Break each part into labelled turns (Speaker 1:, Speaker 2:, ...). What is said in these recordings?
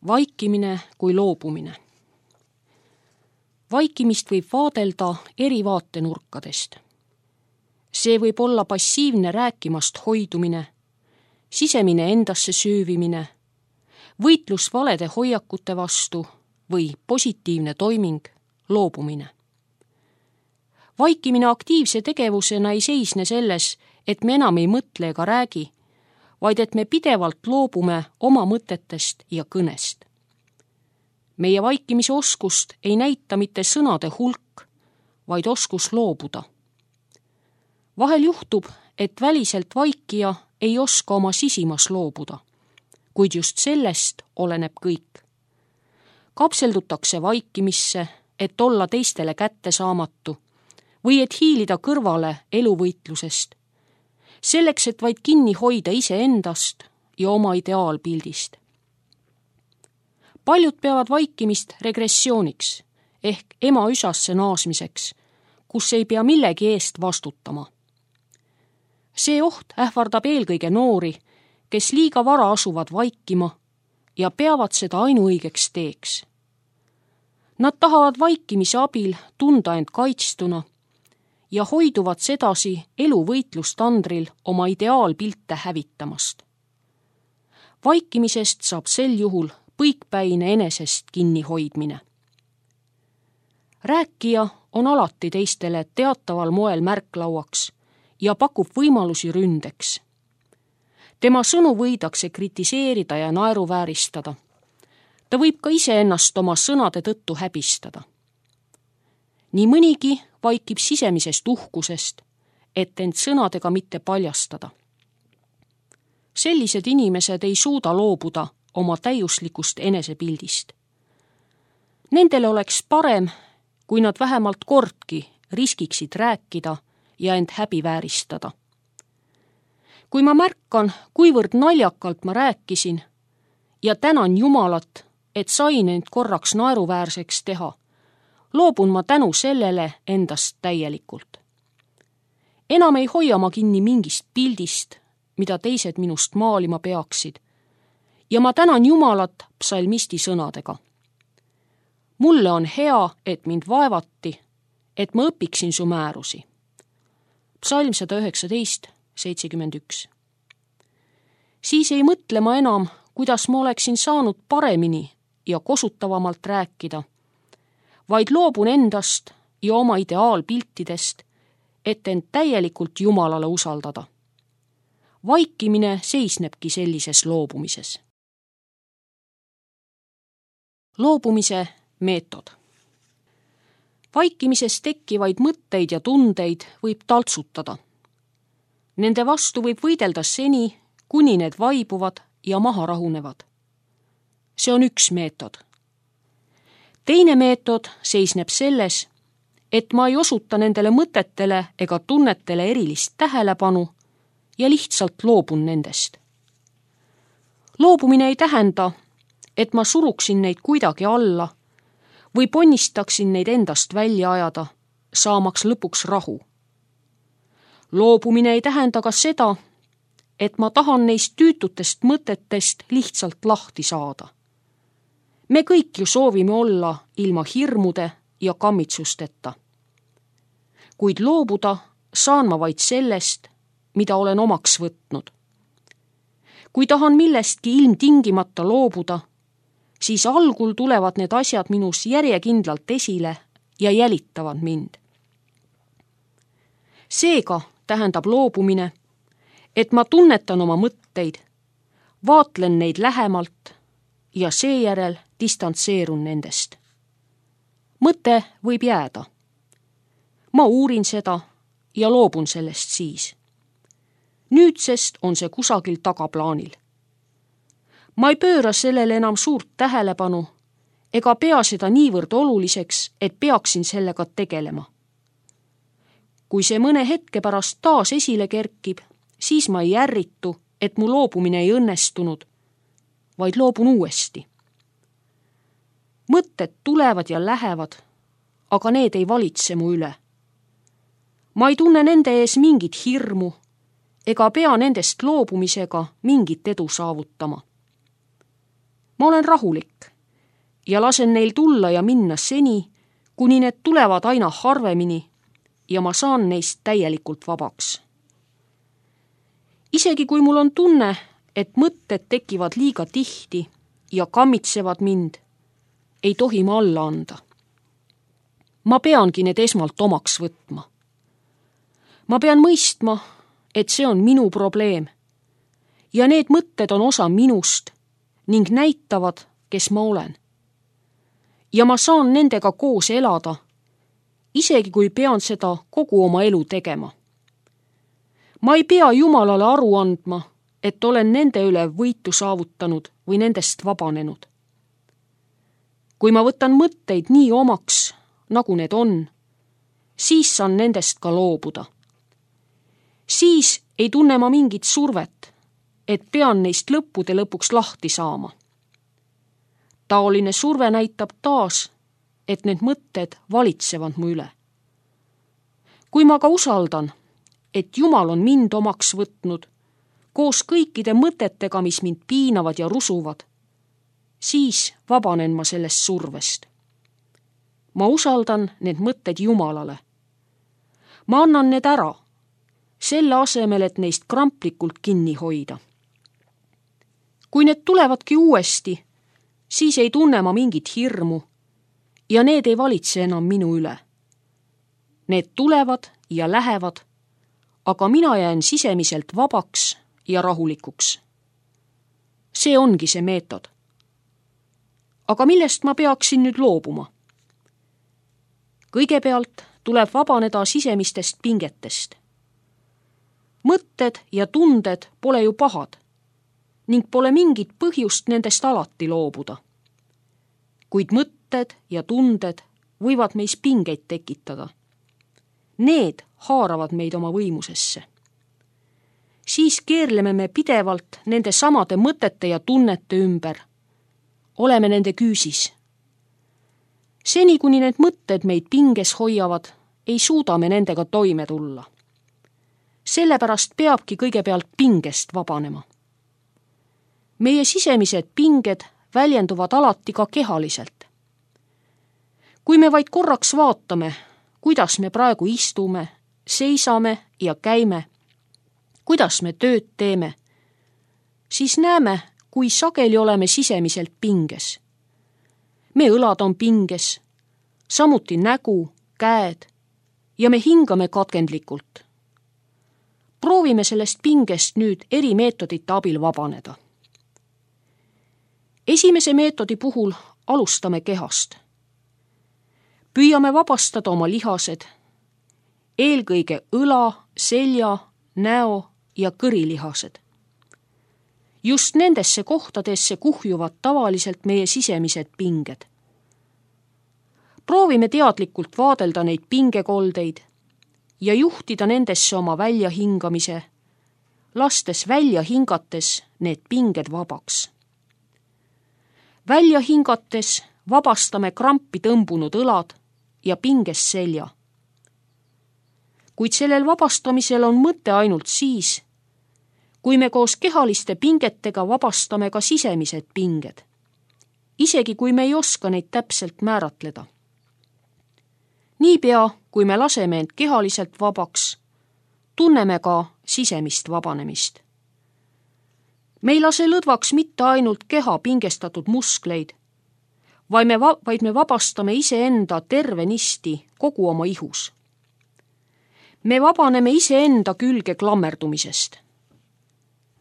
Speaker 1: Vaikimine kui loobumine. Vaikimist võib vaadelda eri vaatenurkadest. See võib olla passiivne rääkimast hoidumine, sisemine endasse süüvimine, võitlus valede hoiakute vastu või positiivne toiming, loobumine. Vaikimine aktiivse tegevusena ei seisne selles, et me enam ei mõtle ega räägi, vaid et me pidevalt loobume oma mõtetest ja kõnest. Meie vaikimise oskust ei näita mitte sõnade hulk, vaid oskus loobuda. Vahel juhtub, et väliselt vaikija ei oska oma sisimas loobuda, kuid just sellest oleneb kõik. Kapseldutakse vaikimisse, et olla teistele kättesaamatu või et hiilida kõrvale eluvõitlusest, selleks, et vaid kinni hoida iseendast ja oma ideaalpildist. Paljud peavad vaikimist regressiooniks ehk ema üsasse naasmiseks, kus ei pea millegi eest vastutama. See oht ähvardab eelkõige noori, kes liiga vara asuvad vaikima ja peavad seda ainuõigeks teeks. Nad tahavad vaikimise abil tunda end kaitstuna ja hoiduvad sedasi eluvõitlustandril oma ideaalpilte hävitamast. Vaikimisest saab sel juhul põikpäine enesest kinnihoidmine. Rääkija on alati teistele teataval moel märklauaks ja pakub võimalusi ründeks. Tema sõnu võidakse kritiseerida ja naeruvääristada. Ta võib ka iseennast oma sõnade tõttu häbistada. Nii mõnigi vaikib sisemisest uhkusest, et end sõnadega mitte paljastada. Sellised inimesed ei suuda loobuda oma täiuslikust enesepildist. Nendele oleks parem, kui nad vähemalt kordki riskiksid rääkida ja end häbivääristada. Kui ma märkan, kuivõrd naljakalt ma rääkisin ja tänan Jumalat, et sain end korraks naeruväärseks teha, loobun ma tänu sellele endast täielikult. Enam ei hoia ma kinni mingist pildist, mida teised minust maalima peaksid, ja ma tänan Jumalat psalmisti sõnadega. Mulle on hea, et mind vaevati, et ma õpiksin su määrusi. Psalm 119:71. Siis ei mõtle ma enam, kuidas ma oleksin saanud paremini ja kosutavamalt rääkida, vaid loobun endast ja oma ideaalpiltidest, et end täielikult Jumalale usaldada. Vaikimine seisnebki sellises loobumises. Loobumise meetod. Vaikimises tekkivaid mõtteid ja tundeid võib taltsutada. Nende vastu võib võidelda seni, kuni need vaibuvad ja maha rahunevad. See on üks meetod. Teine meetod seisneb selles, et ma ei osuta nendele mõtetele ega tunnetele erilist tähelepanu ja lihtsalt loobun nendest. Loobumine ei tähenda, et ma suruksin neid kuidagi alla või ponnistaksin neid endast välja ajada, saamaks lõpuks rahu. Loobumine ei tähenda ka seda, et ma tahan neist tüütutest mõtetest lihtsalt lahti saada. Me kõik ju soovime olla ilma hirmude ja kammitsusteta. Kuid loobuda saan ma vaid sellest, mida olen omaks võtnud. Kui tahan millestki ilmtingimata loobuda, siis algul tulevad need asjad minus järjekindlalt esile ja jälitavad mind. Seega tähendab loobumine, et ma tunnetan oma mõtteid, vaatlen neid lähemalt ja seejärel distantseerun nendest. Mõte võib jääda. Ma uurin seda ja loobun sellest siis. Nüüdsest on see kusagil tagaplaanil. Ma ei pööra sellele enam suurt tähelepanu ega pea seda niivõrd oluliseks, et peaksin sellega tegelema. Kui see mõne hetke pärast taas esile kerkib, siis ma ei ärritu, et mu loobumine ei õnnestunud, vaid loobun uuesti. Mõtted tulevad ja lähevad, aga need ei valitse mu üle. Ma ei tunne nende ees mingit hirmu ega pea nendest loobumisega mingit edu saavutama. Ma olen rahulik, ja lasen neil tulla ja minna seni, kuni need tulevad aina harvemini ja ma saan neist täielikult vabaks. Isegi kui mul on tunne, et mõtted tekivad liiga tihti ja kammitsevad mind, ei tohi ma alla anda. Ma peangi need esmalt omaks võtma. Ma pean mõistma, et see on minu probleem ja need mõtted on osa minust ning näitavad, kes ma olen. Ja ma saan nendega koos elada, isegi kui pean seda kogu oma elu tegema. Ma ei pea Jumalale aru andma, et olen nende üle võitu saavutanud või nendest vabanenud. Kui ma võtan mõtteid nii omaks, nagu need on, siis saan nendest ka loobuda. Siis ei tunne ma mingit survet, et pean neist lõppude lõpuks lahti saama. Taoline surve näitab taas, et need mõtted valitsevad mu üle. Kui ma ka usaldan, et Jumal on mind omaks võtnud, koos kõikide mõtetega, mis mind piinavad ja rusuvad, siis vabanen ma sellest survest. Ma usaldan need mõtted Jumalale. Ma annan need ära, selle asemel, et neist kramplikult kinni hoida. Kui need tulevadki uuesti, siis ei tunne ma mingit hirmu ja need ei valitse enam minu üle. Need tulevad ja lähevad, aga mina jään sisemiselt vabaks ja rahulikuks. See ongi see meetod. Aga millest ma peaksin nüüd loobuma? Kõigepealt tuleb vabaneda sisemistest pingetest. Mõtted ja tunded pole ju pahad ning pole mingit põhjust nendest alati loobuda. Kuid mõtted ja tunded võivad meis pingeid tekitada. Need haaravad meid oma võimusesse. Siis keerleme me pidevalt nende samade mõtete ja tunnete ümber. Oleme nende küüsis. Seni, kuni need mõtted meid pinges hoiavad, ei suuda me nendega toime tulla. Sellepärast peabki kõigepealt pingest vabanema. Meie sisemised pinged väljenduvad alati ka kehaliselt. Kui me vaid korraks vaatame, kuidas me praegu istume, seisame ja käime, kuidas me tööd teeme, siis näeme, kui sageli oleme sisemiselt pinges. Me õlad on pinges, samuti nägu, käed ja me hingame katkendlikult. Proovime sellest pingest nüüd eri meetodite abil vabaneda. Esimese meetodi puhul alustame kehast. Püüame vabastada oma lihased, eelkõige õla, selja, näo ja kõrilihased. Just nendesse kohtadesse kuhjuvad tavaliselt meie sisemised pinged. Proovime teadlikult vaadelda neid pingekoldeid ja juhtida nendesse oma väljahingamise, lastes välja hingates need pinged vabaks. Välja hingates vabastame krampi tõmbunud õlad ja pinges selja. Kuid sellel vabastamisel on mõte ainult siis, kui me koos kehaliste pingetega vabastame ka sisemised pinged, isegi kui me ei oska neid täpselt määratleda. Niipea, kui me laseme end kehaliselt vabaks, tunneme ka sisemist vabanemist. Me ei lase lõdvaks mitte ainult keha pingestatud muskleid, vaid me vabastame iseenda tervenisti kogu oma ihus. Me vabaneme iseenda külge klammerdumisest.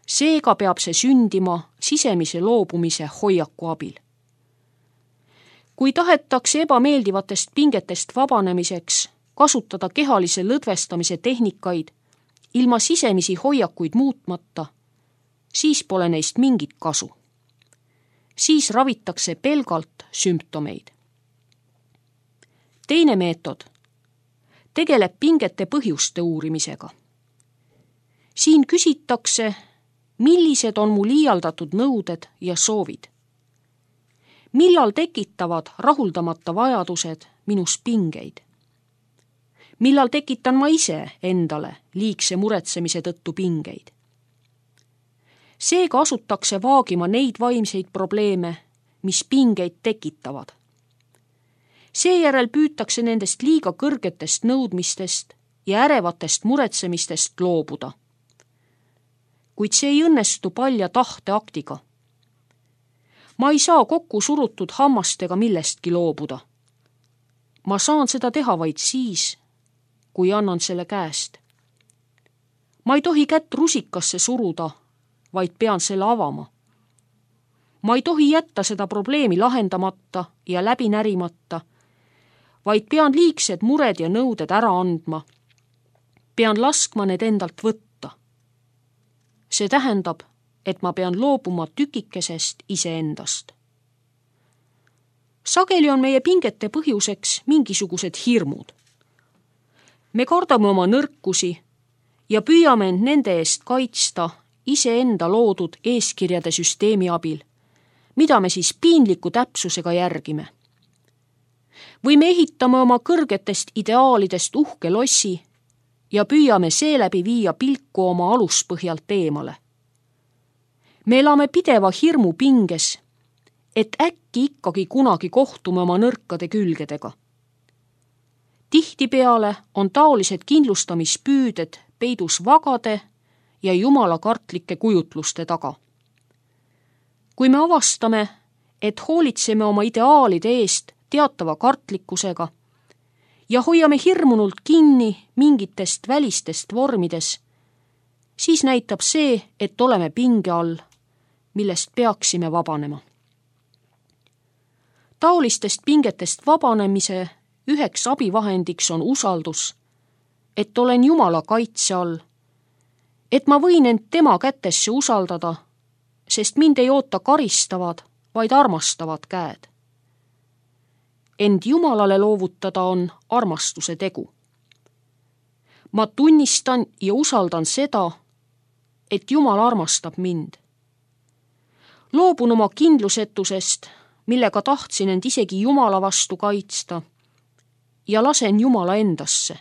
Speaker 1: Seega peab see sündima sisemise loobumise hoiaku abil. Kui tahetakse ebameeldivatest pingetest vabanemiseks kasutada kehalise lõdvestamise tehnikaid ilma sisemisi hoiakuid muutmata, siis pole neist mingit kasu. Siis ravitakse pelgalt sümptomeid. Teine meetod tegeleb pingete põhjuste uurimisega. Siin küsitakse, millised on mu liialdatud nõuded ja soovid. Millal tekitavad rahuldamata vajadused minus pingeid? Millal tekitan ma ise endale liigse muretsemise tõttu pingeid? Seega asutakse vaagima neid vaimseid probleeme, mis pingeid tekitavad. Seejärel püütakse nendest liiga kõrgetest nõudmistest ja ärevatest muretsemistest loobuda. Kuid see ei õnnestu palja tahteaktiga. Ma ei saa kokku surutud hammastega millestki loobuda. Ma saan seda teha vaid siis, kui annan selle käest. Ma ei tohi kätt rusikasse suruda, vaid pean selle avama. Ma ei tohi jätta seda probleemi lahendamata ja läbi närimata, vaid pean liigsed mured ja nõuded ära andma. Pean laskma need endalt võtta. See tähendab, et ma pean loobuma tükikesest iseendast. Sageli on meie pingete põhjuseks mingisugused hirmud. Me kardame oma nõrkusi ja püüame end nende eest kaitsta iseenda loodud eeskirjade süsteemi abil, mida me siis piinliku täpsusega järgime. Või me ehitame oma kõrgetest ideaalidest uhke lossi ja püüame seeläbi viia pilku oma aluspõhjalt eemale. Me elame pideva hirmu pinges, et äkki ikkagi kunagi kohtume oma nõrkade külgedega. Tihtipeale on taolised kindlustamispüüded peidus vagade ja jumalakartlike kujutluste taga. Kui me avastame, et hoolitseme oma ideaalide eest teatava kartlikkusega ja hoiame hirmunult kinni mingitest välistest vormides, siis näitab see, et oleme pinge all, millest peaksime vabanema. Taolistest pingetest vabanemise üheks abivahendiks on usaldus, et olen Jumala kaitse all, et ma võin end tema kätesse usaldada, sest mind ei oota karistavad, vaid armastavad käed. End Jumalale loovutada on armastuse tegu. Ma tunnistan ja usaldan seda, et Jumal armastab mind. Loobun oma kindlusetusest, millega tahtsin end isegi Jumala vastu kaitsta, ja lasen Jumala endasse.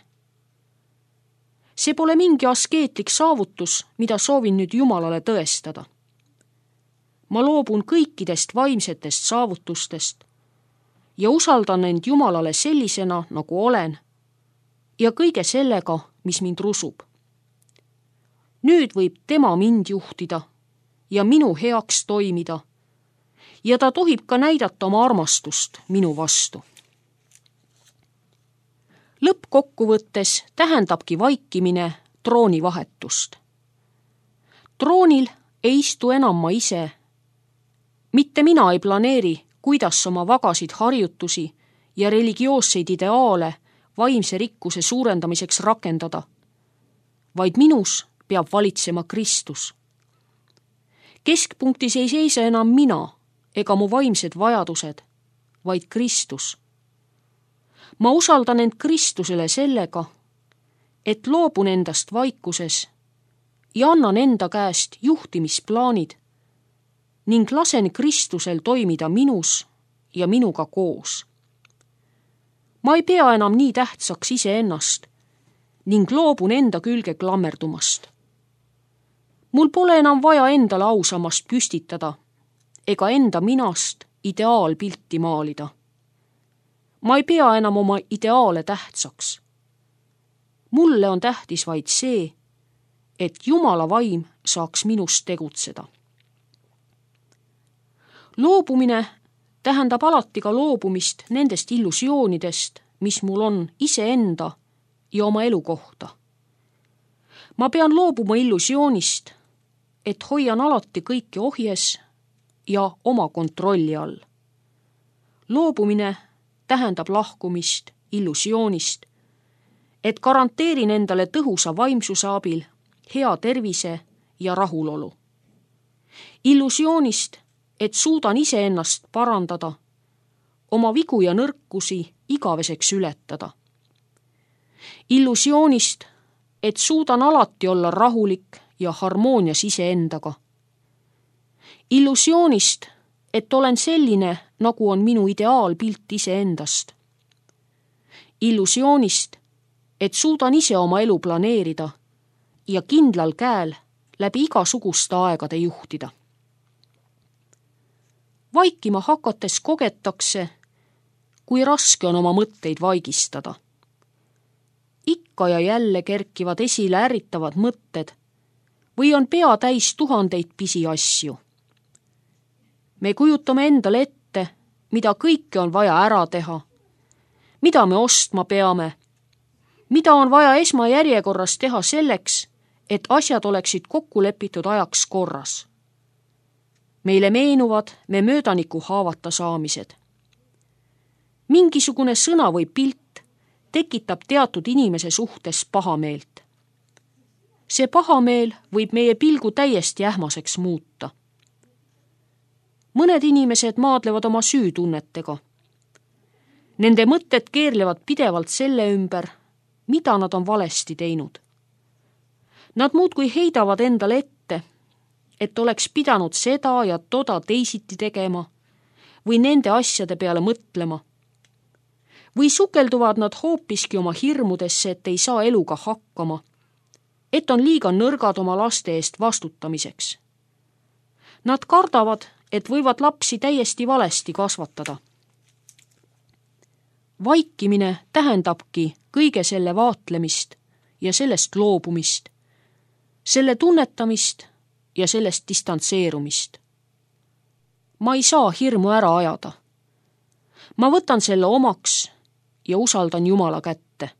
Speaker 1: See pole mingi askeetlik saavutus, mida soovin nüüd Jumalale tõestada. Ma loobun kõikidest vaimsetest saavutustest ja usaldan end Jumalale sellisena, nagu olen, ja kõige sellega, mis mind rusub. Nüüd võib tema mind juhtida ja minu heaks toimida, ja ta tohib ka näidata oma armastust minu vastu. Lõppkokkuvõttes tähendabki vaikimine troonivahetust. Troonil ei istu enam ma ise. Mitte mina ei planeeri, kuidas oma vagasid harjutusi ja religioosseid ideaale vaimse rikkuse suurendamiseks rakendada, vaid minus peab valitsema Kristus. Keskpunktis ei seisa enam mina ega mu vaimsed vajadused, vaid Kristus. Ma usaldan end Kristusele sellega, et loobun endast vaikuses ja annan enda käest juhtimisplaanid ning lasen Kristusel toimida minus ja minuga koos. Ma ei pea enam nii tähtsaks iseennast ning loobun enda külge klammerdumast. Mul pole enam vaja endale ausammast püstitada ega enda minast ideaalpilti maalida. Ma ei pea enam oma ideaale tähtsaks. Mulle on tähtis vaid see, et Jumala vaim saaks minust tegutseda. Loobumine tähendab alati ka loobumist nendest illusioonidest, mis mul on iseenda ja oma elu kohta. Ma pean loobuma illusioonist, et hoian alati kõike ohjes ja oma kontrolli all. Loobumine tähendab lahkumist illusioonist, et garanteerin endale tõhusa vaimsuse abil hea tervise ja rahulolu. Illusioonist, et suudan iseennast parandada, oma vigu ja nõrkusi igaveseks ületada. Illusioonist, et suudan alati olla rahulik ja harmoonias iseendaga. Illusioonist, et olen selline, nagu on minu ideaalpilt iseendast. Illusioonist, et suudan ise oma elu planeerida ja kindlal käel läbi igasuguste aegade juhtida. Vaikima hakates kogetakse, kui raske on oma mõtteid vaigistada. Ikka ja jälle kerkivad esile ärritavad mõtted või on pea täis tuhandeid pisiasju. Me kujutame endale ette, mida kõike on vaja ära teha, mida me ostma peame, mida on vaja esmajärjekorras teha selleks, et asjad oleksid kokku lepitud ajaks korras. Meile meenuvad me möödaniku haavata saamised. Mingisugune sõna või pilt tekitab teatud inimese suhtes pahameelt. See pahameel võib meie pilgu täiesti ähmaseks muuta. Mõned inimesed maadlevad oma süütunnetega. Nende mõtted keerlevad pidevalt selle ümber, mida nad on valesti teinud. Nad muudkui heidavad endale ette, et oleks pidanud seda ja toda teisiti tegema või nende asjade peale mõtlema. Või sukelduvad nad hoopiski oma hirmudesse, et ei saa eluga hakkama, et on liiga nõrgad oma laste eest vastutamiseks. Nad kardavad, et võivad lapsi täiesti valesti kasvatada. Vaikimine tähendabki kõige selle vaatlemist ja sellest loobumist, selle tunnetamist ja sellest distantseerumist. Ma ei saa hirmu ära ajada. Ma võtan selle omaks ja usaldan Jumala kätte.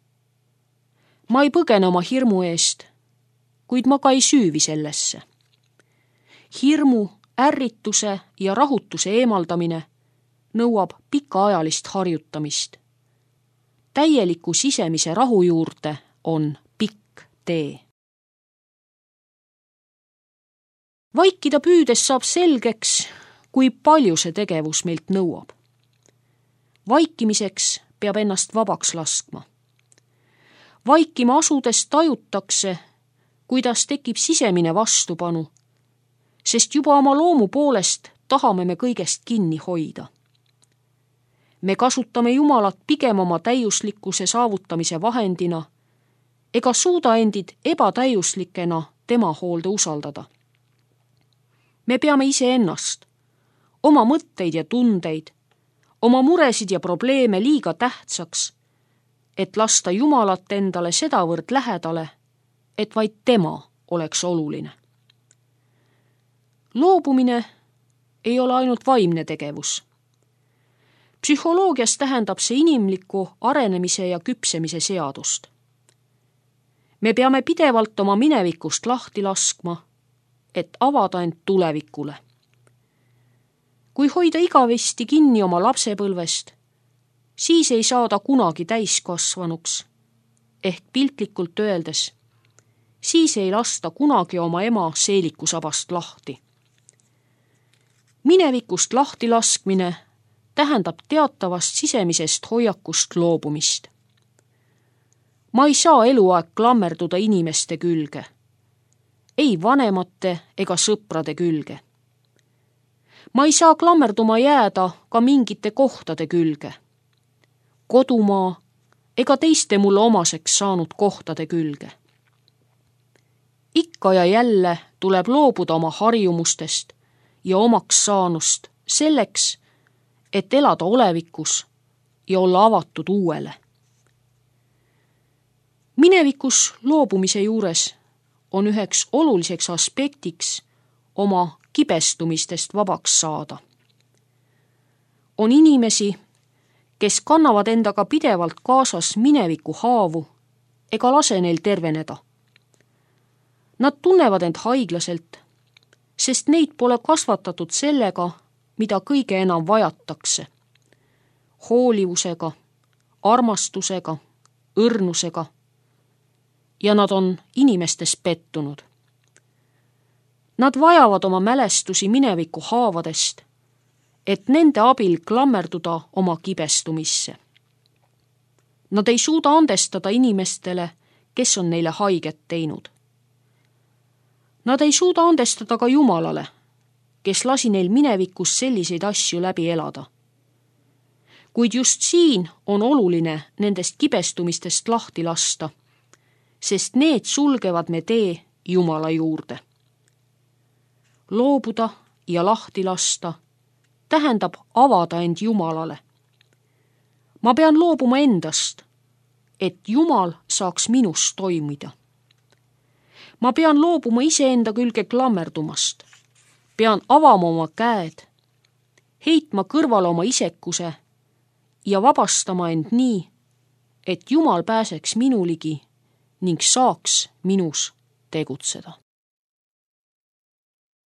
Speaker 1: Ma ei põgene oma hirmu eest, kuid ma ka ei süüvi sellesse. Hirmu, ärrituse ja rahutuse eemaldamine nõuab pikaajalist harjutamist. Täieliku sisemise rahu juurde on pikk tee. Vaikida püüdes saab selgeks, kui palju see tegevus meilt nõuab. Vaikimiseks peab ennast vabaks laskma. Vaikima asudes tajutakse, kuidas tekib sisemine vastupanu, sest juba oma loomu poolest tahame me kõigest kinni hoida. Me kasutame Jumalat pigem oma täiuslikkuse saavutamise vahendina ega suuda endid ebatäiuslikena tema hoolde usaldada. Me peame iseennast, oma mõtteid ja tundeid, oma muresid ja probleeme liiga tähtsaks, et lasta Jumalat endale sedavõrd lähedale, et vaid tema oleks oluline. Loobumine ei ole ainult vaimne tegevus. Psühholoogias tähendab see inimliku arenemise ja küpsemise seadust. Me peame pidevalt oma minevikust lahti laskma, et avada end tulevikule. Kui hoida igavesti kinni oma lapsepõlvest, siis ei saa ta kunagi täiskasvanuks, ehk piltlikult öeldes, siis ei lasta kunagi oma ema seelikusabast lahti. Minevikust lahti laskmine tähendab teatavast sisemisest hoiakust loobumist. Ma ei saa eluaeg klammerduda inimeste külge, ei vanemate ega sõprade külge. Ma ei saa klammerduma jääda ka mingite kohtade külge, kodumaa ega teiste mulle omaseks saanud kohtade külge. Ikka ja jälle tuleb loobuda oma harjumustest ja omaks saanust selleks, et elada olevikus ja olla avatud uuele. Minevikus loobumise juures on üheks oluliseks aspektiks oma kibestumistest vabaks saada. On inimesi, kes kannavad endaga pidevalt kaasas mineviku haavu ega lase neil terveneda. Nad tunnevad end haiglaselt, sest neid pole kasvatatud sellega, mida kõige enam vajatakse. Hoolivusega, armastusega, õrnusega. Ja nad on inimestes pettunud. Nad vajavad oma mälestusi mineviku haavadest, et nende abil klammerduda oma kibestumisse. Nad ei suuda andestada inimestele, kes on neile haiget teinud. Nad ei suuda andestada ka Jumalale, kes lasi neil minevikus selliseid asju läbi elada. Kuid just siin on oluline nendest kibestumistest lahti lasta, sest need sulgevad me tee Jumala juurde. Loobuda ja lahti lasta tähendab avada end Jumalale. Ma pean loobuma endast, et Jumal saaks minus toimida. Ma pean loobuma iseenda külge klammerdumast. Pean avama oma käed, heitma kõrvale oma isekuse ja vabastama end nii, et Jumal pääseks minu ligi ning saaks minus tegutseda.